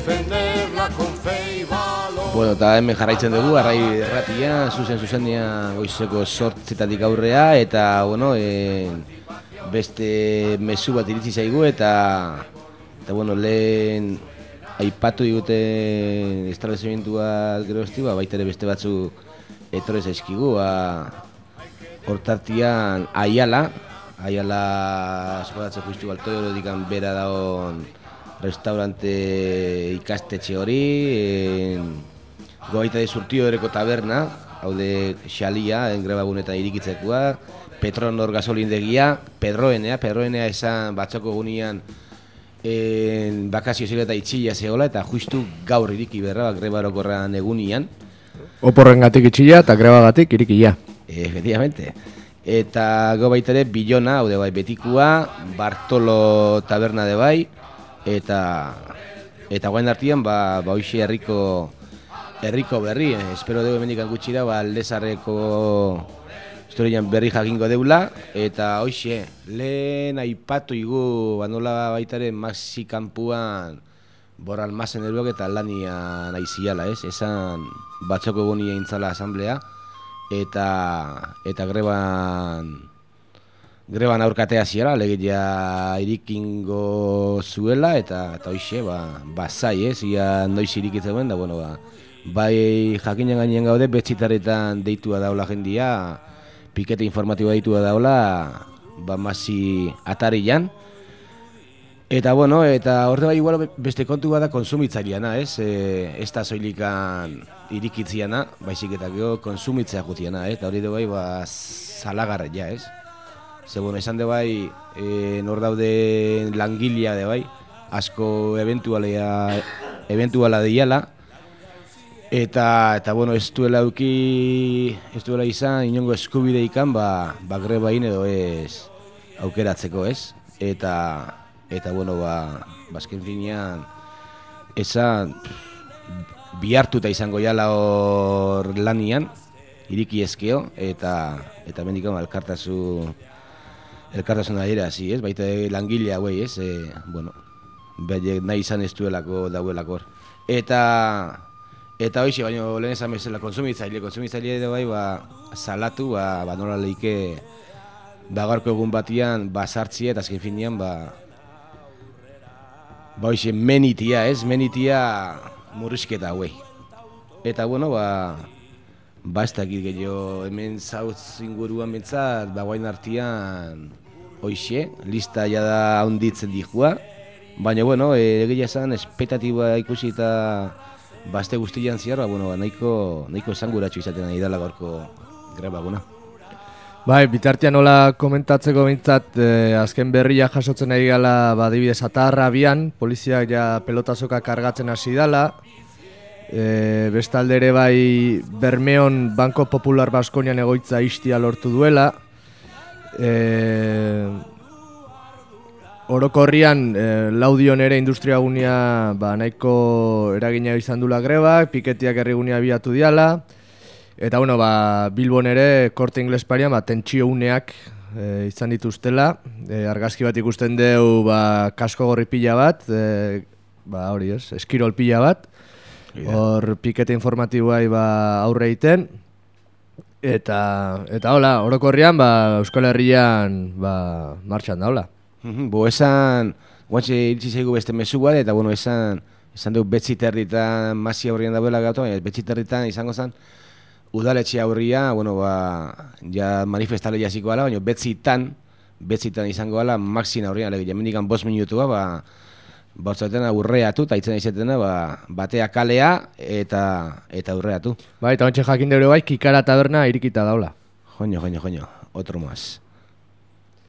defenderla con fe y valor. Bueno, eta hemen jarraitzen dugu, Arrai Erratia, zuzen-zuzenean goizeko 8:00 aurrea, eta, bueno, beste mezu bat iritsi zaigu, eta bueno, lehen aipatu digute establezimientua gerozti, baita ere beste batzu etorri zaizkigu, hortartian Aiala eskolatze justu Baltoio dikan bera dagoen restaurante ikastetxe hori, gobaita de Surtio ereko taberna, haude Xalia, grebagunetan irikitzekoa, Petronor gasolindegia, Pedroenea esan batzoko gunean bakazio zela eta itxila zegoela, eta justu gaur iriki berra, greba orokorrean egunian. Oporrengatik itxila eta grebagatik irikia. Efectivamente. Eta gobaita ere Bilona, haude bai Betikua, Bartolo taberna de bai, eta guain artian, hoxe herriko berri, espero dugu hemendik gutxira, Aldezarreko historian berri jakingo deula, eta hoxe, lehen aipatu igu, nola baitaren Maxi kanpuan Borral Mazen eruak eta lania naiziala, esan batzoko gunia intzala asamblea, eta greban aurkatea ziala, legeia irikingo zuela, eta hoxe, zai, ia noiz irikitzen da, bueno, bai jakinen gainean gaude, betxitarretan deitua daula jendia, pikete informatiboa deitua daula, Maxi atarian. Eta, bueno, eta horre bai igual beste kontu bada konsumitzaileana, ez da zoilikan irikitziana, baizik eta gero konsumitzea jutiana, eta hori dugu bai zalagarria, ez? Ze, bueno, esan de bai, nor daude langilea de bai, asko eventuala deiala, eta bueno, ez duela izan, inongo eskubide ikan, grebain edo ez aukeratzeko, ez? Eta bueno, azken finean, esan bihartuta izango jala hor lanian, iriki ezkeo, eta mendikon elkartasun adira, ez? Baita langilea hauei, ez? Bueno, nahi izan ez duelako dauelako hor. Eta hoxe, baina lehen esan bezala konsumitzaile edo bai, salatu, nola lehike, gaurko egun batian, sartzia, eta azken finean, hoxe, menitia, ez? Menitia murrizketa hauei. Eta, bueno, ez dakit gehiago, hemen zautz inguruan bentsat, guain artian, hoxe, lista jada handitzen dihua, baina, bueno, egia esan, espektatiba ikusi eta bazte guztian ziar, nahiko esanguratxo izaten nahi dela gaurko grebaguna. Bai, bitartean nola komentatzeko bintzat, azken berria jasotzen ari gala, adibidez Atarra bian, poliziak ja pelotazoka kargatzen hasi dala, bestalde ere bai Bermeon Banko Popular Baskonian egoitza istia lortu duela, orokorrian Laudion ere industriagunea nahiko eragina izan dula grebak, piketiak herrigunea biatu diala, eta bueno, Bilbon ere Korte Ingles parian tentsio uneak izan dituztela, argazki bat ikusten deu kasko gorri pila bat, hori ez, eskirol pila bat, hor pikete informatiboai aurre egiten, eta hola, orokorrian Euskal Herrian martxan da, hola. Esan, guantxe iritsi zaigu beste mesu bat, eta bueno, esan dugu Betziterritan Maxi aurrian dauela gautu, Betziterritan izango zen, udaletxe aurria, bueno, ja manifestale jasiko ala, baina Betzitan izango ala Maxin aurrian, lege, jamendikan 5 minutua, bautzaten urreatu, eta itzen izetena, batea kalea eta urreatu. Bai, eta ontsa jakin deure bai, Kikara taberna irikita daula. Joño, otro más.